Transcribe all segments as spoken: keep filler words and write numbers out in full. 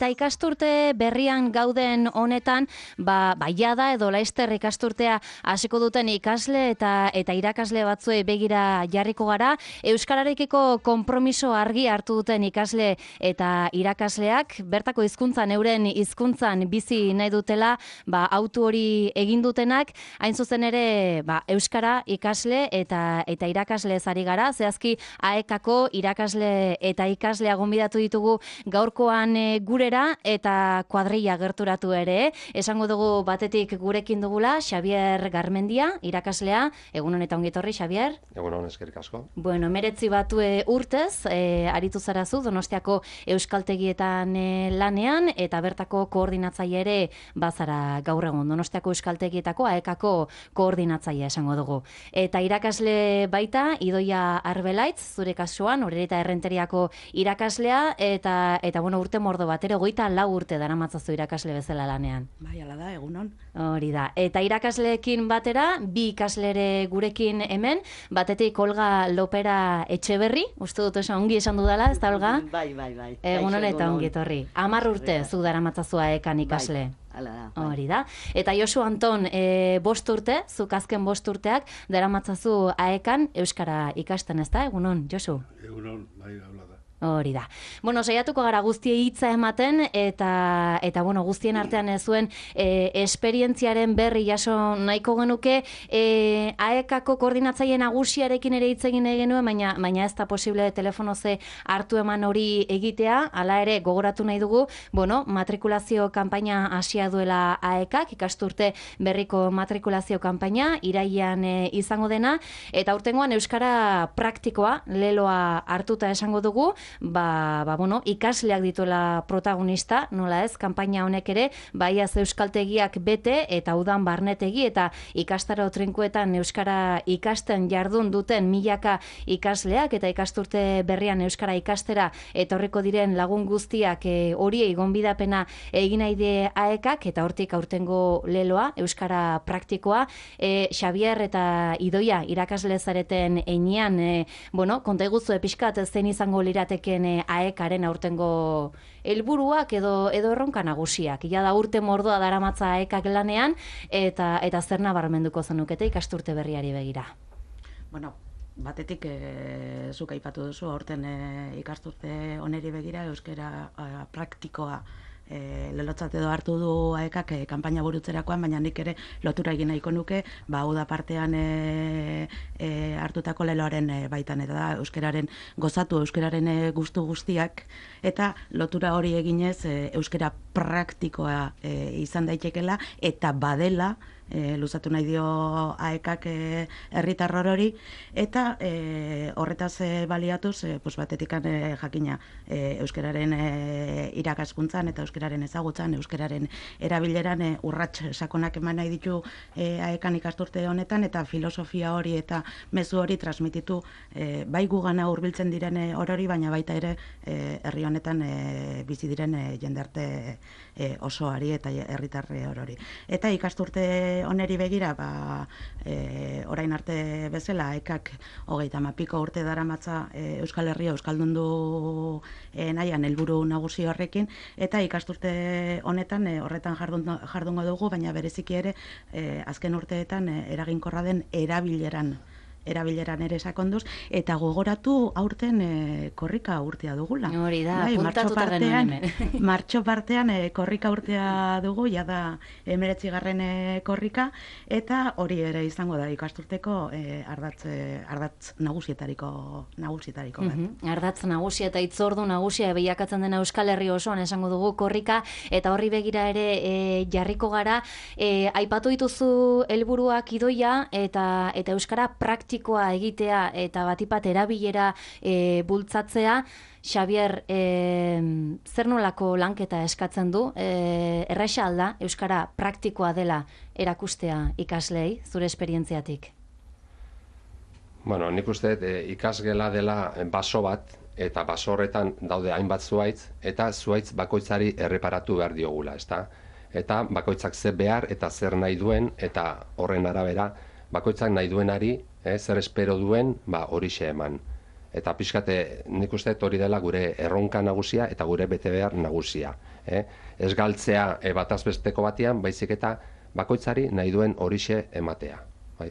Eta ikasturte berrian gauden honetan, ba, ba jada edo laizter ikasturtea hasiko duten ikasle eta eta irakasle batzuei begira jarriko gara. Euskararekiko konpromiso argi hartu duten ikasle eta irakasleak, bertako hizkuntzan euren hizkuntzan bizi nahi dutela, ba, autu hori egin dutenak, hain zuzen ere, ba, euskara ikasle eta eta irakasle ari gara, zehazki aekako irakasle eta ikaslea gonbidatu ditugu gaurkoan e, gure eta kuadrilla gerturatu ere. Esango dugu batetik gurekin dugula Xabier Garmendia, irakaslea. Egun honetan ongi etorri, Xabier. Egun hon, eskerrik asko. Bueno, emeretzi batue urtez, e, aritu zarazu Donostiako euskaltegietan e, lanean, eta bertako koordinatzaile ere bazara gaur egun. Donostiako euskaltegietako aekako koordinatzaile esango dugu. Eta irakasle baita, Idoia Arbelaitz, zure kasuan, Orereta Errenteriako irakaslea, eta, eta bueno, urte mordo bat ere goita lau urte daramatzazu irakasle bezala lanean. Bai, hala da, egunon. Hori da. Eta irakasleekin batera, bi ikaslere gurekin hemen, batetik Olga Lopera Etxeberri, uste dut esan ongi esan dudala, ez da, Olga? Bai, bai, bai. Egunon eta ongi etorri. Hamar urte zu daramatzazua ekan ikasle. Bai. Hala da, bai. Hori da. Eta Josu Anton, e, bost urte, zuk azken bost urteak, daramatzazu aekan euskara ikasten, ez da? Egunon, Josu? Egunon, bai, habla da. Hori da. Bueno, saiatuko gara guztiei hitza ematen eta eta bueno, guztien artean ez zuen e, esperientziaren berri jaso nahiko genuke, e, aekako koordinatzaile nagusiarekin ere hitz egin nahi genuen, baina baina ez da posible telefono ze hartu eman hori egitea. Hala ere gogoratu nahi dugu, bueno, matrikulazio kanpaina hasia duela aekak, ikasturte berriko matrikulazio kanpaina irailean e, izango dena, eta aurtengoan euskara praktikoa leloa hartuta esango dugu. Ba, ba, bueno, ikasleak dituela protagonista, nola ez, kanpaina honek ere, baiaz euskaltegiak bete eta udan barnetegi eta ikastaro trinkoetan euskara ikasten jardun duten milaka ikasleak eta ikasturte berrian euskara ikastera etorriko diren lagun guztiak e, horiei gonbidapena egin nahi die aekak eta hortik aurtengo leloa, euskara praktikoa, e, Xabier eta Idoia irakasle zareten einean, e, bueno, konta iguzu epizkat zein izango lirateke aekaren aurtengo helburuak edo edo erronka nagusiak. Ja da urte mordoa daramatza aekak lanean eta eta zer nabarmenduko zenukete ikasturte berriari begira. Bueno, batetik e, zuk aipatu duzu aurten e, ikasturte oneri begira euskara e, praktikoa E, lelotzat edo hartu du aekak e, kanpaina burutzerakoan, baina nik ere lotura egin nahiko nuke, ba, uda partean e, e, hartutako leloaren e, baitan, eta da, euskararen gozatu, euskararen e, gustu guztiak, eta lotura hori eginez e, euskara praktikoa e, izan daitekela, eta badela, E, luzatu nahi dio aekak e, herritar hori, eta e, horretaz e, baliatuz, e, pues batetikan e, jakina e, euskararen e, irakaskuntzan eta euskararen ezagutzan, euskararen erabileran e, urrats sakonak eman nahi ditu e, aekan ikasturte honetan, eta filosofia hori eta mezu hori transmititu e, bai gugana hurbiltzen diren e, orori, baina baita ere e, herri honetan e, bizi diren e, jendarte e, osoari eta herritarre orori. Eta ikasturte oneri begira, ba, e, orain arte bezala, aekak hogeita hamapiko urte daramatza e, Euskal Herria euskaldundu e, nahian helburu nagusi horrekin, eta ikasturte honetan e, horretan jardun, jardungo dugu, baina bereziki ere e, azken urteetan e, eraginkorra den erabileran erabileran ere sakonduz, eta gogoratu aurten e, korrika urtea dugula. Hori da, bai, puntatuta genuen hemen. Martxo partean e, korrika urtea dugu, ja da emeretzi garren e, korrika, eta hori ere izango da ikasturteko e, ardatz, e, ardatz nagusietariko, nagusietariko bat. Mm-hmm. Ardatz nagusia eta itzordu nagusia bilakatzen dena Euskal Herri osoan esango dugu korrika, eta horri begira ere e, jarriko gara, e, aipatu dituzu helburuak Idoia, eta, eta euskara praktikoa egitea eta batipat erabilera e, bultzatzea. Xabier, e, zer nolako lanketa eskatzen du? E, erraxa alda, euskara praktikoa dela erakustea ikaslei, zure esperientziatik? Bueno, nik uste e, ikasgela dela baso bat, eta baso horretan daude hainbat zuaitz, eta zuaitz bakoitzari erreparatu behar diogula, ezta? Eta bakoitzak zer behar eta zer nahi duen, eta horren arabera, bakoitzak nahi duenari, eh, zer espero duen, ba, horixe eman. Eta pixkate nik uste hori dela gure erronka nagusia eta gure bete behar nagusia. Eh? Ez galtzea e, bataz besteko batean, baizik eta bakoitzari nahi duen horixe ematea. Bai?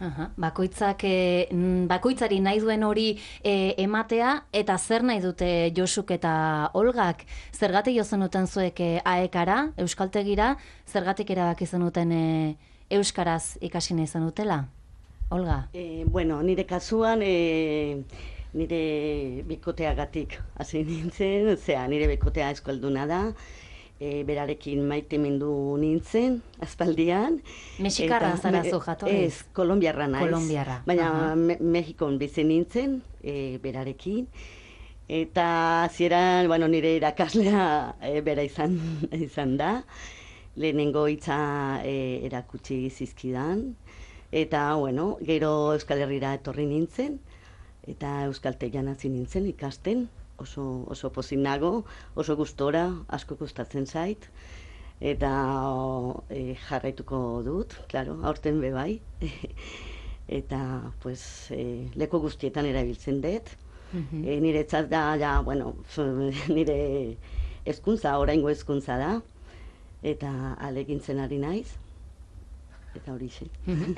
Aha, bakoitzak, e, bakoitzari nahi duen hori e, ematea, eta zer nahi dute Josuk eta Olgak? Zergatik jo zenuten zuek e, aekara, euskaltegira, zergatik erabaki zenuten e, euskaraz ikasi nahi zenutela? Olga? E, bueno, nire kasuan, e, nire bikoteagatik hasi nintzen, zera, nire bikotea eskolduna da, e, berarekin maitemindu nintzen, aspaldian. Mexikarra zara zu jatorriz? Ez, kolombiarra naiz. Kolombiarra. Baina me, Mexikon bizi nintzen, e, berarekin. Eta zieran, bueno, nire irakaslea e, bera izan, izan da. Lehenengo hitza e, erakutsi zizkidan. Eta, bueno, gero Euskal Herrira etorri nintzen, eta euskaltegian hasi nintzen ikasten, oso, oso pozik nago, oso gustora, asko gustatzen zait, eta e, jarraituko dut, claro, aurten be bai. Eta, pues, e, leku guztietan erabiltzen dut. Mm-hmm. e, niretzat da, ja, bueno, nire hezkuntza, oraingo hezkuntza da, eta alegintzen ari naiz. Eta hori xe.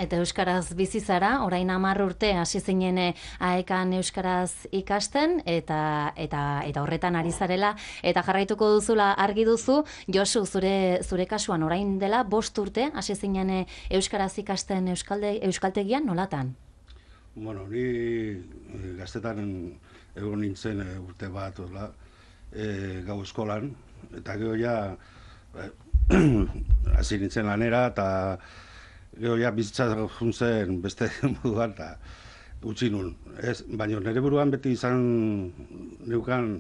Eta euskaraz bizi zara, orain hamar urte hasi zinen aekan euskaraz ikasten, eta, eta, eta horretan ari zarela, eta jarraituko duzula argi duzu. Josu, zure, zure kasuan orain dela bost urte hasi zinen euskaraz ikasten euskalde, euskaltegian, nolatan? Bueno, ni gaztetan egon nintzen urte bat, ola, e, gau eskolan, eta gero ja hasi nintzen lanera, eta gero ja bizitza juntzen beste moduan eta utzi nun. Ez, baina nire buruan beti izan neukan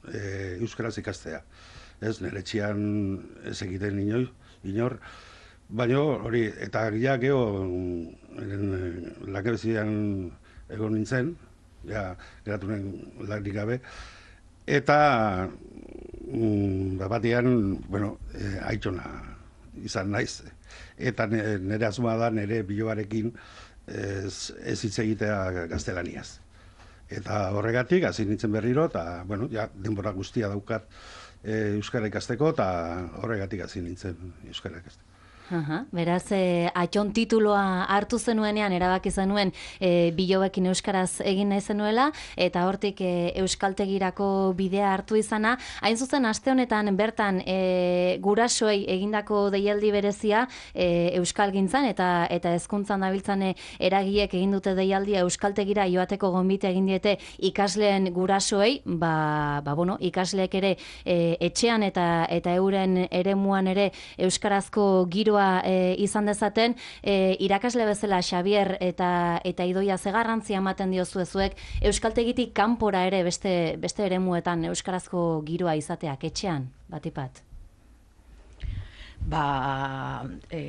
e, euskaraz ikastea. Ez, nire etxean ez egiten inoi, inor. Baina hori, eta ja gero lakebezian egon nintzen, ja geratu nuen lanik gabe. Eta mm, batean, bueno, e, aitona izan naiz. Eta nire asmoa da nire bilobarekin ez, ez hitz egitea gaztelaniaz. Eta horregatik hasi nintzen berriro, eta bueno, ja, denbora guztia daukat e, euskara ikasteko, eta horregatik hasi nintzen euskara ikasteko. Aha, beraz, e, atxon tituloa hartu zenuenean, erabaki zenuen e, bilobekin euskaraz egin nahi zenuela, eta hortik e, euskaltegirako bidea hartu izana. Hain zuzen, aste honetan bertan e, gurasoei egindako deialdi berezia e, euskalgintzan eta eta hezkuntzan dabiltzan eragiek egin dute deialdia euskaltegira joateko gonbite egin diete ikasleen gurasoei, ba, ba bueno, ikasleek ere e, etxean eta eta euren eremuan ere euskarazko giro E, izan dezaten, e, irakasle bezala Xabier eta eta Idoia ze garrantzia ematen diozu zuek euskaltegitik kanpora ere beste beste eremuetan euskarazko giroa izateak etxean, batipat? Ba, e,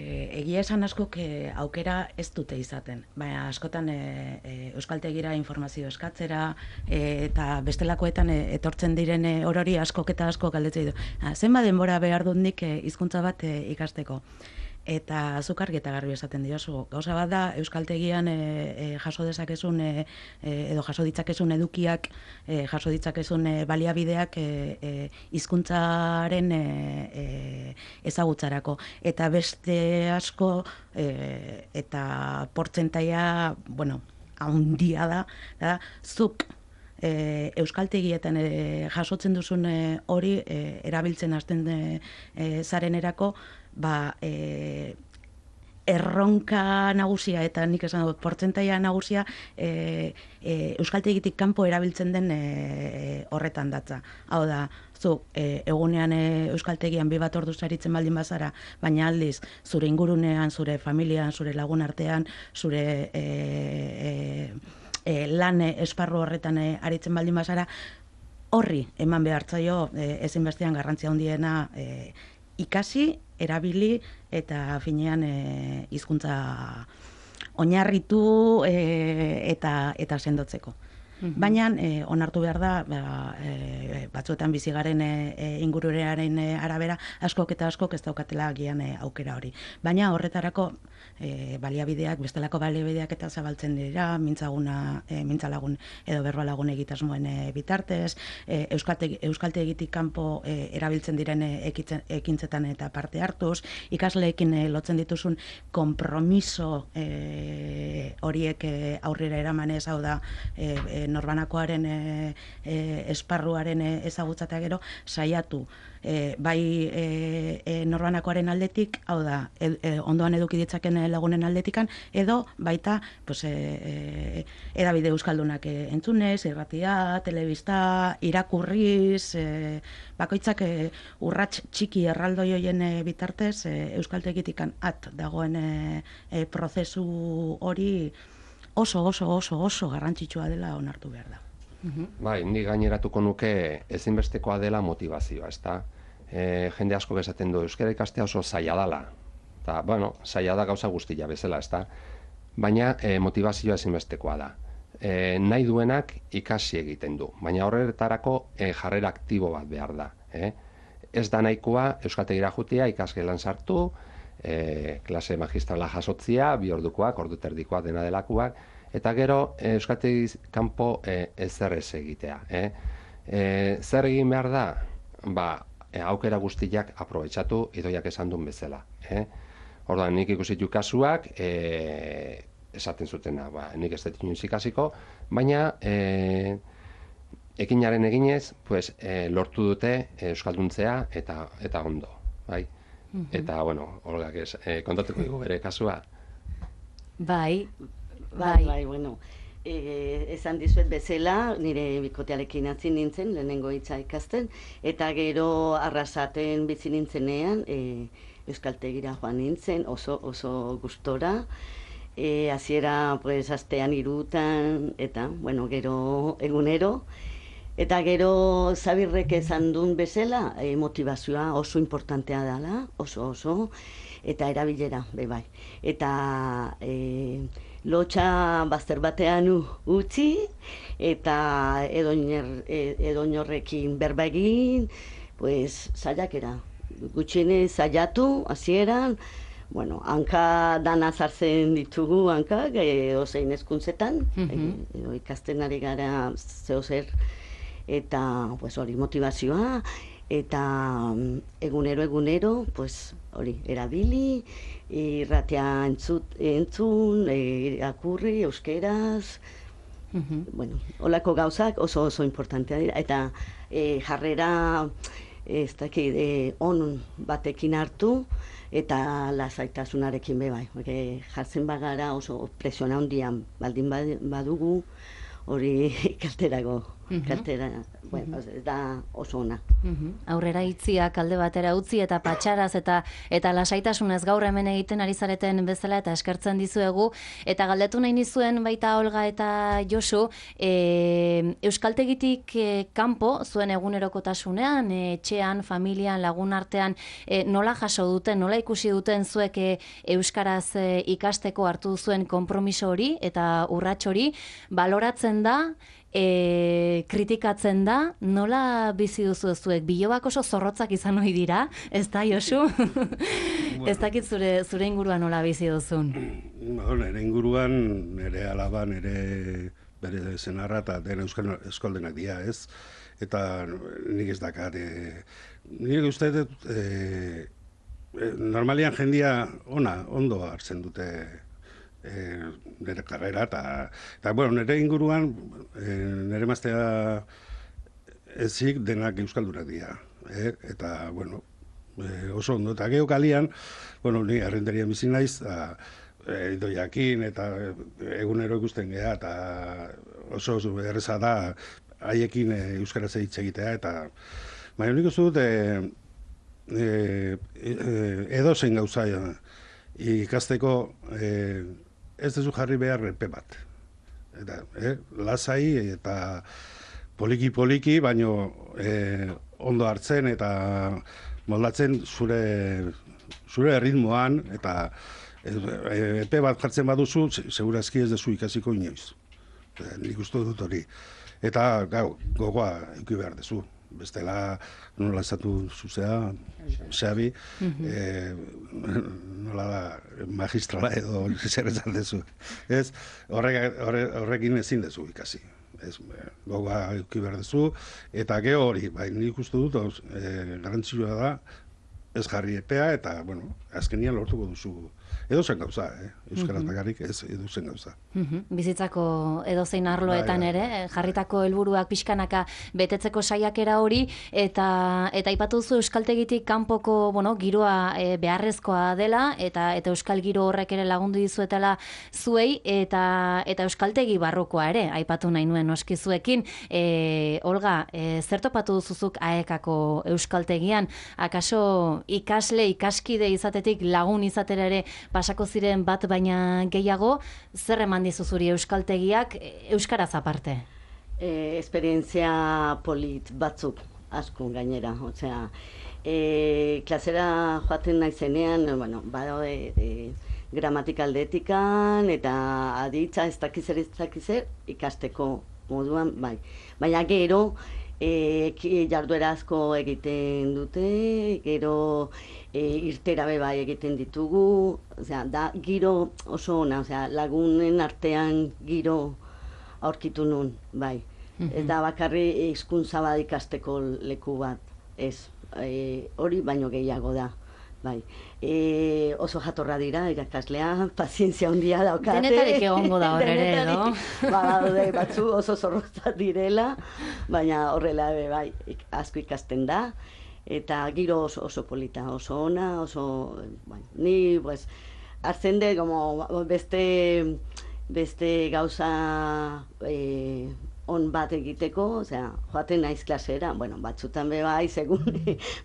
egia esan askok e, aukera ez dute izaten, baina askotan e, e, euskaltegira informazio eskatzera e, eta bestelakoetan e, etortzen diren e, orori askok eta askok galdetzen du. Zenba denbora behar dut nik e, hizkuntza bat e, ikasteko. Eta zuk argi eta garbi esaten diozu. Gauza bat da, euskaltegian e, e, jaso dezakezun, e, edo jaso ditzakezun edukiak, e, jaso ditzakezun e, baliabideak e, e, hizkuntzaren e, e, ezagutzarako. Eta beste asko, e, eta portzentaia, bueno, handia da, da zuk e, euskaltegietan e, jasotzen duzun e, hori e, erabiltzen hasten e, e, zarenerako, ba, e, erronka nagusia eta nik esan dut portzentaia nagusia e, e, euskaltegitik kanpo erabiltzen den e, horretan datza. Hau da, zu e, egunean e, euskaltegian bi bat ordu saritzen baldin bazara, baina aldiz zure ingurunean, zure familian, zure lagun artean, zure e, e, e, lan esparru horretan e, aritzen baldin bazara, horri eman behartzaio e, ezinbestean garrantzia handiena e, ikasi, erabili eta finean e, hizkuntza oinarritu e, eta eta sendotzeko. Baina e, onartu behar da, ba, e, batzuetan bizigaren e, ingururearen e, arabera, askok eta askok ez daukatela agian e, aukera hori. Baina horretarako e, baliabideak, bestelako baliabideak eta zabaltzen dira, mintzaguna, e, mintzalagun edo berbalagun egitasmoen e, bitartez, e, euskalte, euskalte egitik kanpo e, erabiltzen diren e, ekitzen, ekintzetan eta parte hartuz, ikasleekin e, lotzen dituzun konpromiso e, horiek e, aurrera eramanez, hau da, e, e, norbanakoaren e, e, esparruaren e, ezagutzatea gero, saiatu e, bai e, e, norbanakoaren aldetik, hau da, e, e, ondoan eduki ditzaken lagunen aldetikan, edo baita pues, e, e, edabide euskaldunak e, entzunez, irratia, telebista, irakurriz, e, bakoitzak e, urrats txiki erraldoi hoien e, bitartez, e, euskaltegitikan at dagoen e, e, prozesu hori oso, oso, oso, oso garrantzitsua dela onartu behar da. Bai, ni gaineratuko nuke ezinbestekoa dela motivazioa, ezta? E, jende asko esaten du euskara ikastea oso zaila dela. Eta, bueno, zaila da gauza guztia bezala, ezta? Baina e, motivazioa ezinbestekoa da. E, nahi duenak ikasi egiten du, baina horretarako e, jarrera aktibo bat behar da. Eh? Ez da nahikoa euskaltegira jutea, ikasgelan sartu, E, klase magistrala jasotzia, bi ordukoak, ordu terdikoak, dena delakoak, eta gero e, euskaltegi kanpo e, ezer ez egitea. Eh? E, zer egin behar da? Ba, e, aukera guztiak aprobetxatu, idoiak esan duen bezala. Eh? Orduan, nik ikusitu kasuak, e, esaten zutena, ba, nik ez dut inoiz ikasiko, baina e, ekinaren eginez, pues, e, lortu dute e, euskalduntzea eta, eta ondo. Bai? Eta, bueno, Olgak ez, eh, kontatuko dugu bere kasua. Bai, bai, bai, bueno. E, esan dizuet bezala, nire bikotearekin hasi nintzen, lehenengo hitza ikasten, eta gero Arrasaten bizi nintzenean, e, euskaltegira joan nintzen, oso, oso gustora, e, hasiera, pues, astean hirutan, eta, bueno, gero egunero, eta gero Zabirrek esan duen bezala, e, motivazioa oso importantea dela, oso oso, eta erabilera, be bai. Eta e, lotxa bazter batean utzi, eta edoinorrekin berba egin, pues, saiakera. Gutxienez saiatu, hasieran, bueno, hanka dana zartzen ditugu, hankak, e, ozein hezkuntzetan, mm-hmm. e, edo ikasten ari gara zeo zer, eta pues hori motivazioa, eta egunero egunero pues hori erabili, irratia entzut, entzun, irakurri euskeraz, mm-hmm. bueno, holako gauzak oso oso importantea dira, eta e, jarrera ez dakit, e, on batekin hartu, eta lasaitasunarekin be bai, porque jartzen bagara oso presiona handian baldin badugu, hori kalterago, uh-huh. kaltera, bueno, uh-huh. da oso ona. Uh-huh. Aurrera itziak alde batera utzi eta patxaraz eta eta lasaitasunez gaur hemen egiten ari zareten bezala eta eskertzen dizuegu. Eta galdetu nahi nizuen baita Olga eta Josu, e, euskaltegitik e, kanpo, zuen egunerokotasunean, e, etxean, familian, lagun artean, e, nola jaso duten, nola ikusi duten zuek e, euskaraz e, ikasteko hartu zuen konpromiso hori eta urrats hori, baloratzen da, E, kritikatzen da, nola bizi duzu zuek? Bilobak oso zorrotzak izan ohi dira, ez da, Josu? Bueno. Ez dakit zure, zure inguruan nola bizi duzun? Bueno, nire inguruan, nire alaba, nire bere zenarra eta dena euskaldenak dira, ez? Eta nik ez dakat, e, nik uste dut, e, e, normalian jendia ona, ondo hartzen dute E, nire karrera, eta, eta bueno, nire inguruan, e, nire maztea ezik denak euskaldunak dira. E, eta, bueno, e, oso ondo. Eta geho kalian, bueno, ni arrenderian bizi naiz, e, idoiakin, eta egunero ikusten geha, eta oso, oso erreza da haiekin e, euskaraz hitz egitea, eta baina nik uste dut, e, e, e, edo zein gauza ikasteko, e, ez dezu jarri behar epe bat. Eta, eh, lasai eta poliki-poliki, baino eh, ondo hartzen eta moldatzen zure, zure ritmoan, eta epe bat jartzen baduzu, segurazki ez dezu ikasiko inoiz. nik uste dut hori. Eta, gau, gogoa eduki behar dezu. Bestela, nola esatu zuzea, Xabi, eh, nola da, magistrala edo zer esan dezu. Ez, horrek, horrekin ezin dezu ikasi. Ez, gogoa eduki behar dezu, eta ge hori, bai, nik uste dut, eh, garantzioa da, ez jarri epea, eta, bueno, azkenian lortuko duzu edo zen gauza, eh? Euskaraz bakarrik ez edo zen gauza. Bizitzako edozein arloetan ere, jarritako helburuak pixkanaka betetzeko saiakera hori, eta eta aipatu duzu euskaltegitik kanpoko, bueno, giroa e, beharrezkoa dela, eta eta euskal giro horrek ere lagundu dizuetela zuei, eta eta euskaltegi barrukoa ere, aipatu nahi nuen noski zuekin. E, Olga, e, zer topatu duzuzuk aekako euskaltegian? Akaso ikasle, ikaskide izatetik lagun izatera ere pasako ziren bat baina gehiago, zer eman dizu zuri euskaltegiak euskaraz aparte? E, esperientzia polit batzuk asko gainera, osea, e, klasera joaten naizenean, bueno, badaude e, gramatikaldetikan eta aditza ez dakizer ez dakizer ikasteko moduan, bai. Baina gero, E, jarduera asko egiten dute, gero e, irtera bai egiten ditugu, osea, da giro oso ona, osea, lagunen artean giro aurkitu nun, bai. Mm-hmm. Ez da bakarri hizkuntza bat ikasteko leku bat, ez, e, hori baino gehiago da. Bai. E, oso jatorra dira, irakaslea, pazientzia handia daukate. Denetarik egongo da horre ere, no? Ba, batzu oso zorrozat direla, baina horrela bai, asko ikasten da. Eta giro oso, oso polita, oso ona, oso... Bai, ni, pues, hartzen de, como, beste, beste gauza... E, on bat egiteko, osea, joaten naiz klasera, bueno, batzutan be bai, segun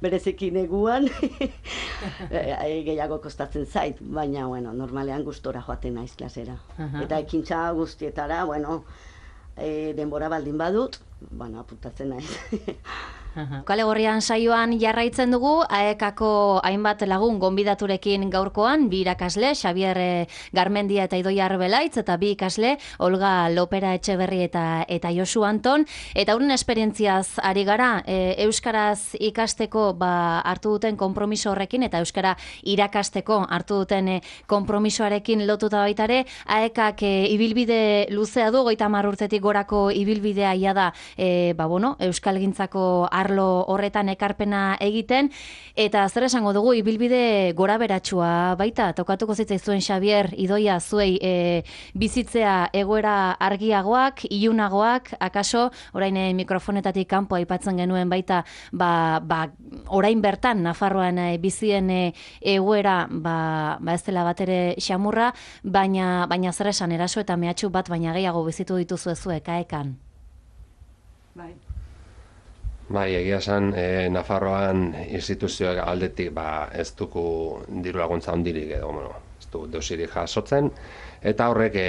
bereziki neguan, gehiago kostatzen zait, baina, bueno, normalean gustora joaten naiz klasera. Uh-huh. Eta ekintza guztietara, bueno, e, denbora baldin badut, bueno, apuntatzen naiz. Kale Gorrian saioan jarraitzen dugu, aekako hainbat lagun gonbidaturekin gaurkoan, bi irakasle, Xabier Garmendia eta Idoia Arbelaitz, eta bi ikasle, Olga Lopera Etxeberri eta, eta Josu Anton, eta horren esperientziaz ari gara, e, euskaraz ikasteko ba, hartu duten konpromiso horrekin, eta euskara irakasteko hartu duten e, konpromisoarekin lotuta baitare, aekak e, ibilbide luzea du, goita hamar urtetik gorako ibilbidea ia da, e, ba, bueno, euskalgintzako arlo horretan ekarpena egiten, eta zer esango dugu, ibilbide gora beratsua baita, tokatuko zitzaizuen Xabier, Idoia, zuei e, bizitzea egoera argiagoak, ilunagoak, akaso, orain e, mikrofonetatik kanpo aipatzen genuen baita, ba, ba, orain bertan, Nafarroan e, bizien e, egoera, ba, ba ez dela bat ere xamurra, baina, baina zer esan, eraso eta mehatxu bat, baina gehiago bizitu dituzu zuek, aekan. Bai. Bai, egia esan, e, Nafarroan instituzioak aldetik ba, ez duku diru laguntza hondirik edo, bueno, ez du deusirik jasotzen, eta horrek e,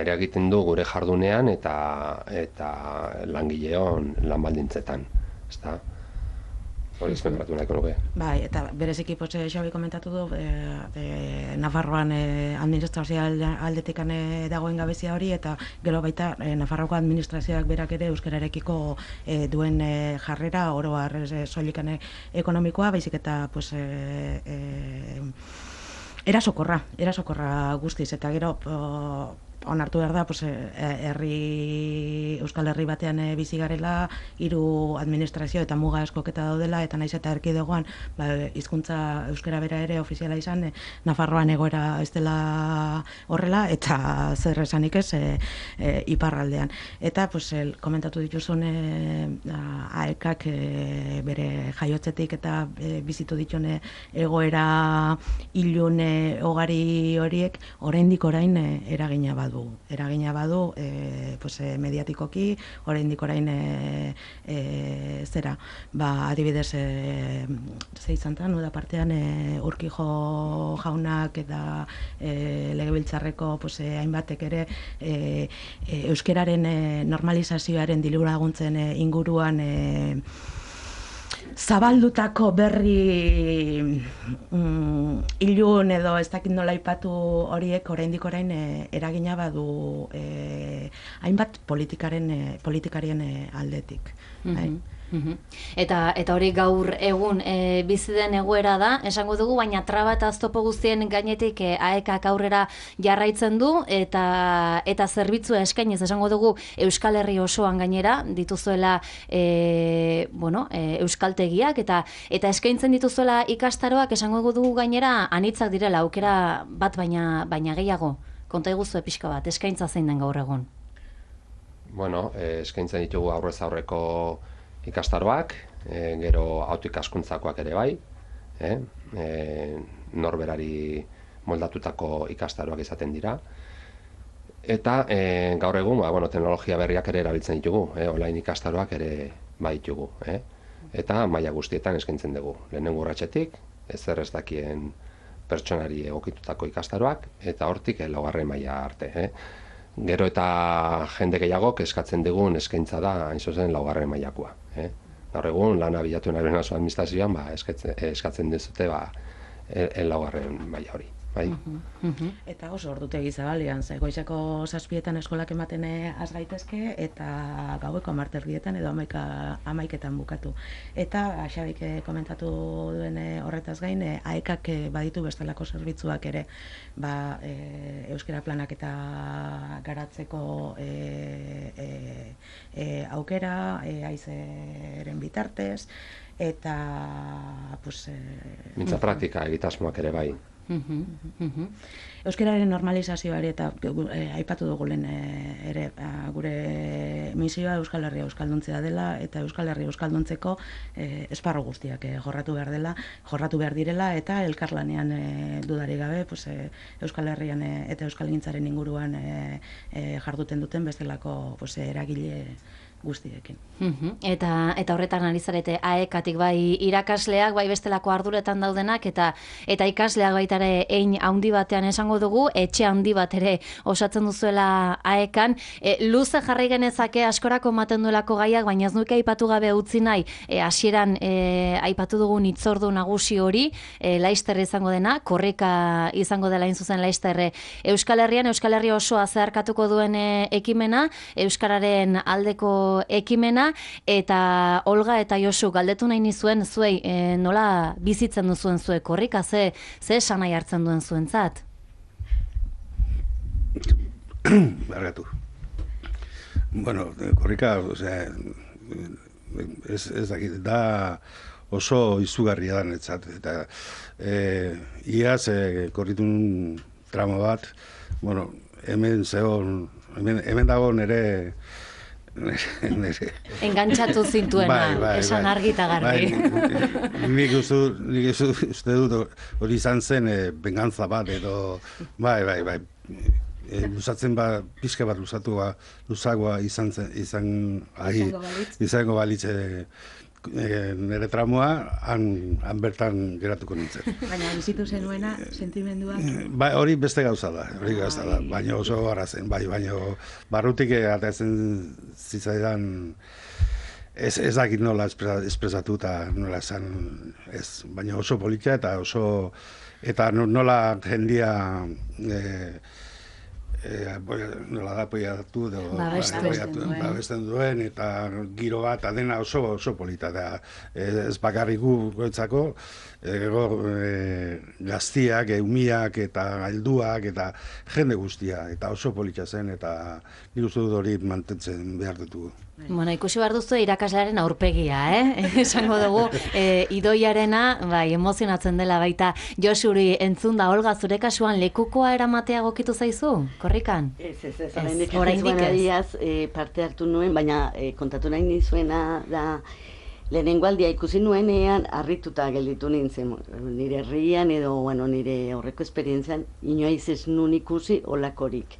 eragiten du gure jardunean eta eta langileon lan baldintzetan, ezta? Hori ezmengaratu nahiko nuke. Bai, eta bereziki potxe Xabi komentatu du, e, e, Nafarroan e, administrazio aldetikan e, dagoen gabezia hori, eta gero baita e, Nafarroko administrazioak berak ere euskararekiko e, duen e, jarrera, oro har e, soilikane ekonomikoa, baizik eta pues, e, e, erasokorra, erasokorra guztiz, eta gero o, onartu behar da, pues, herri, Euskal Herri batean e, bizi garela, hiru administrazio eta muga eskoketa daudela, eta naiz eta erkidegoan, ba, hizkuntza euskara bera ere ofiziala izan, e, Nafarroan egoera ez dela horrela, eta zer esanik ez, e, e, iparraldean. Eta, pues, el, komentatu dituzun e, aekak e, bere jaiotzetik eta e, bizitu ditune egoera ilun e, ogari horiek, oraindik orain e, eragina badu. Eragina badu, e, pues, e, mediatikoki, oraindik orain e, e, zera, ba, adibidez, e, ze izan da, nuda partean, e, Urkijo jaunak eta e, legebiltzarreko pues, e, hainbatek ere e, e, euskeraren e, normalizazioaren diru laguntzen e, inguruan e, zabaldutako berri mm, ilun edo ez dakit nola aipatu horiek oraindik orain e, eragina badu e, hainbat politikaren e, politikarien e, aldetik. Mm-hmm. Uhum. Eta eta hori gaur egun e, bizi den egoera da, esango dugu, baina traba eta oztopo guztien gainetik e, aekak aurrera jarraitzen du eta eta zerbitzua eskainez esango dugu Euskal Herri osoan gainera dituzuela e, bueno, e, euskaltegiak eta eta eskaintzen dituzuela ikastaroak esango dugu gainera anitzak direla, aukera bat baina baina gehiago. Konta iguzu pixka bat, eskaintza zein den gaur egun? Bueno, e, eskaintzen ditugu aurrez aurreko ikastaroak, e, gero autoikaskuntzakoak ere bai, e, e, norberari moldatutako ikastaroak izaten dira. Eta e, gaur egun, ba, bueno, teknologia berriak ere erabiltzen ditugu, e, online ikastaroak ere baitugu. E, eta maila guztietan eskaintzen dugu. Lehenengo urratsetik, ezer ez dakien pertsonari egokitutako ikastaroak, eta hortik e, laugarren maila arte. E. Gero eta jende gehiagok eskatzen dugun eskaintza da, hain zuzen, laugarren mailakoa. Eh? Gaur egun, lana bilatu nahi benazo administrazioan, ba, eskatzen, eskatzen dizute ba, el laugarren maila hori. Bai? Uh-huh, uh-huh. Eta oso ordutegi zabalian, ze goizeko zazpietan eskolak ematen has gaitezke, eta gaueko hamarterdietan edo hamaika, hamaiketan bukatu. Eta, Xabik komentatu duen horretaz gain, aekak baditu bestelako zerbitzuak ere, ba, e, euskara planak eta garatzeko e, e, e, aukera, e, aizeren bitartez, eta, pues... E, Mintza praktika egitasmoak ere bai. Uhum, uhum. Euskararen normalizazioari eta e, aipatu dugu lehen e, ere a, gure misioa Euskal Herria euskalduntzea dela eta Euskal Herria euskalduntzeko e, esparru guztiak e, jorratu behar dela, jorratu behar direla eta elkarlanean e, dudarik gabe pues, e, Euskal Herrian e, eta euskalgintzaren inguruan e, e, jarduten duten bestelako pues, eragile guztiekin. Uhum. Eta eta horretan ari zarete aekatik bai irakasleak, bai bestelako arduretan daudenak eta eta ikasleak baita ere hein handi batean esango dugu, etxe handi bat ere osatzen duzuela aekan. E, luze jarri genezake askorako ematen duelako gaiak, baina ez nuke aipatu gabe utzi nahi, e, hasieran e, aipatu dugun hitzordu nagusi hori, e, Laister izango dena, korrika izango dela hain zuzen Laister Euskal Herrian, Euskal Herria osoa zeharkatuko duen e, ekimena, euskararen aldeko ekimena, eta Olga eta Josu galdetu nahi nizuen zuei e, nola bizitzen duzuen zuek korrika, ze, ze esan nahi hartzen duen zuentzat? Bargatu. Bueno, korrika, osea, ez, ez dakit, da oso izugarria da netzat, eta e, iaz e, korritun tramo bat, bueno, hemen zegoen, hemen, hemen dago nere Engantzatu zintuena, bai, bai, esan bai. argi eta garbi. Bai, nik uste, nik uste dut hori izan zen e, bengantza bat edo, bai, bai, bai, e, luzatzen ba, pixka bat luzatu ba, luzagoa izan zen, izan, ahi, izango balitz e, e, nire tramoa, han, han bertan geratuko nintzen. Baina bizitu zenuena, sentimenduak? Ba, hori beste gauza da, hori gauza da, baina oso gara zen, bai, baina barrutik atatzen zitzaidan, ez, ez dakit nola espresatu eta nola esan, ez, baina oso politia eta oso, eta nola jendia, e, E, nola da apoiatu edo babesten duen eta giro bat adena oso oso polita da, ez bakarrik gu goitzako, ego e, gaztiak, eumiak eta helduak eta jende guztia eta oso polita zen eta nik uste dut hori mantentzen behar dutu. Bueno, ikusi behar duzu irakaslearen aurpegia, eh? Esango dugu, e, idoiarena, bai, emozionatzen dela baita. Josuri, entzun da, Olga, zure kasuan lekukoa eramatea gokitu zaizu, korrikan? Ez, ez, ez, oraindik ez, e, parte hartu nuen, baina e, kontatu nahi nizuena da, lehenengo aldia ikusi nuenean, harrituta gelditu nintzen, nire herrian edo, bueno, nire aurreko esperientzian, inoiz ez nun ikusi olakorik.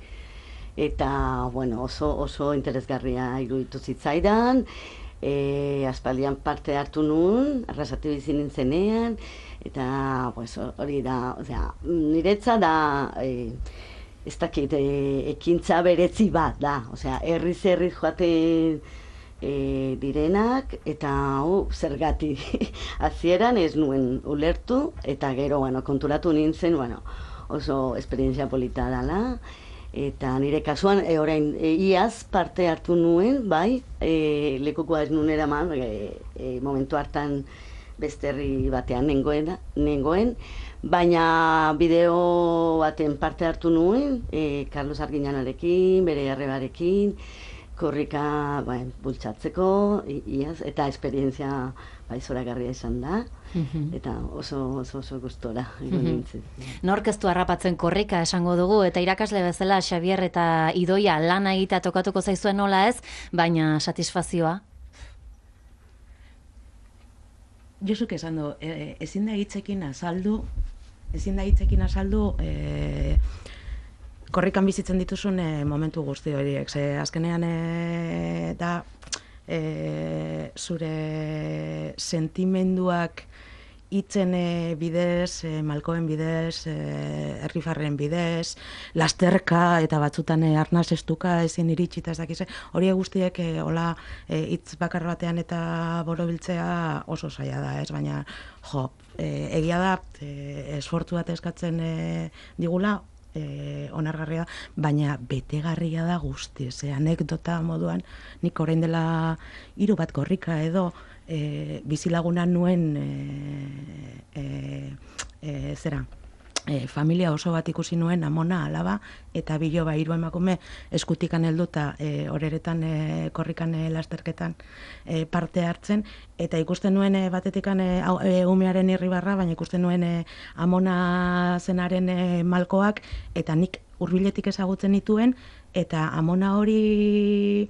Eta, bueno, oso, oso interesgarria iruditu zitzaidan, e, aspaldian parte hartu nun, arrasate bizi nintzenean, eta, pues, hori da, osea, niretza da, e, ez dakit, e, ekintza beretzi bat da, osea, herriz herriz joaten e, direnak, eta hau zergati hasieran ez nuen ulertu, eta gero, bueno, konturatu nintzen, bueno, oso esperientzia polita dela, eta nire kasuan, e, orain, e, iaz parte hartu nuen, bai, e, lekukoa ez nuen eraman, e, e, momentu hartan beste herri batean nengoen, nengoen, baina bideo baten parte hartu nuen, e, Carlos Arginanarekin, bere arrebarekin, korrika bai, bultzatzeko, iaz, eta esperientzia bai zoragarria izan da, eta oso oso, oso gustora egon nintzen. Nork ez du harrapatzen korrika esango dugu, eta irakasle bezala Xabier eta Idoia lana egitea tokatuko zaizuen nola ez, baina satisfazioa? Josuk esan du, e, ezin da hitzekin azaldu, ezin da hitzekin azaldu, e, korrikan bizitzen dituzun e, momentu guzti horiek. Ze azkenean e, da e, zure sentimenduak hitzen e, bidez, e, malkoen bidez, e, errifarren bidez, lasterka eta batzutan e, arnaz estuka ezin iritsita ez dakize, hori guztiek e, hola e, hitz bakar batean eta borobiltzea oso zaila da, ez? Baina jo, e, egia da e, esfortzu bat eskatzen e, digula, e, onargarria, baina betegarria da guztiz, e, anekdota moduan, nik orain dela hiru bat korrika edo E, bizilaguna nuen e, e, e, zera e, familia oso bat ikusi nuen, amona, alaba eta biloba hiru emakume eskutikan helduta e, horeretan e, korrikan e, lasterketan e, parte hartzen, eta ikusten nuen e, batetikan e, e, umearen irribarra, baina ikusten nuen e, amona zenaren e, malkoak, eta nik hurbiletik ezagutzen nituen, eta amona hori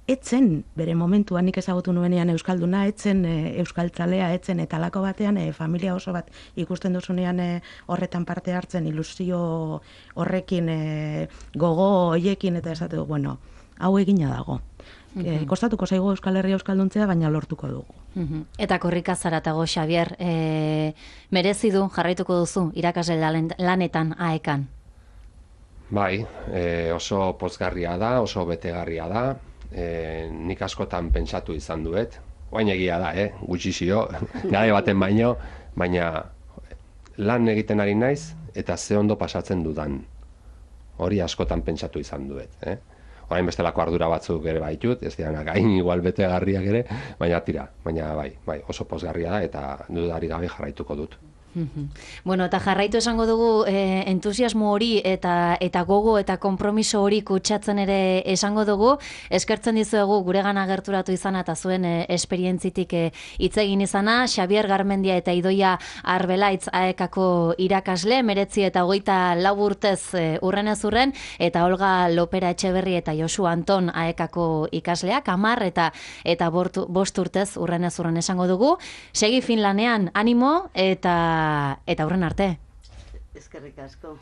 etzen, bere momentuan nik ezagutu nuenean euskalduna, etzen e, euskaltzalea, etzen eta alako batean e, familia oso bat ikusten duzunean e, horretan parte hartzen, ilusio horrekin, e, gogo hoiekin, eta esatu, bueno, hau egina dago. E, kostatuko zaigu Euskal Herria euskalduntzea, baina lortuko dugu. Uh-huh. Eta korrika zaratago, Xabier, e, merezi du jarraituko duzu irakasle lanetan aekan? Bai, e, oso pozgarria da, oso betegarria da. E, nik askotan pentsatu izan duet, oain egia da, eh? Gutxizio, gade baten baino, baina lan egiten ari naiz eta ze ondo pasatzen dudan. Hori askotan pentsatu izan duet. Eh? Orain bestelako ardura batzuk ere baitut, ez dianak gain igual betegarriak ere, baina tira, baina bai, bai, oso pozgarria da eta dudari gabe jarraituko dut. Bueno, eta jarraitu esango dugu e, entusiasmo hori eta eta gogo eta konpromiso hori kutsatzen ere esango dugu. Eskertzen dizuegu guregana gerturatu izana eta zuen e, esperientzitik hitz e, egin izana. Xabier Garmendia eta Idoia Arbelaitz aekako irakasle, meretzi eta hogeita lau urtez e, urrenez urren, eta Olga Lopera Etxeberri eta Josu Anton aekako ikasleak, hamar eta eta bortu, bost urtez urrenez urren esango dugu. Segi Finlanean, animo eta eta aurren arte. Eskerrik asko.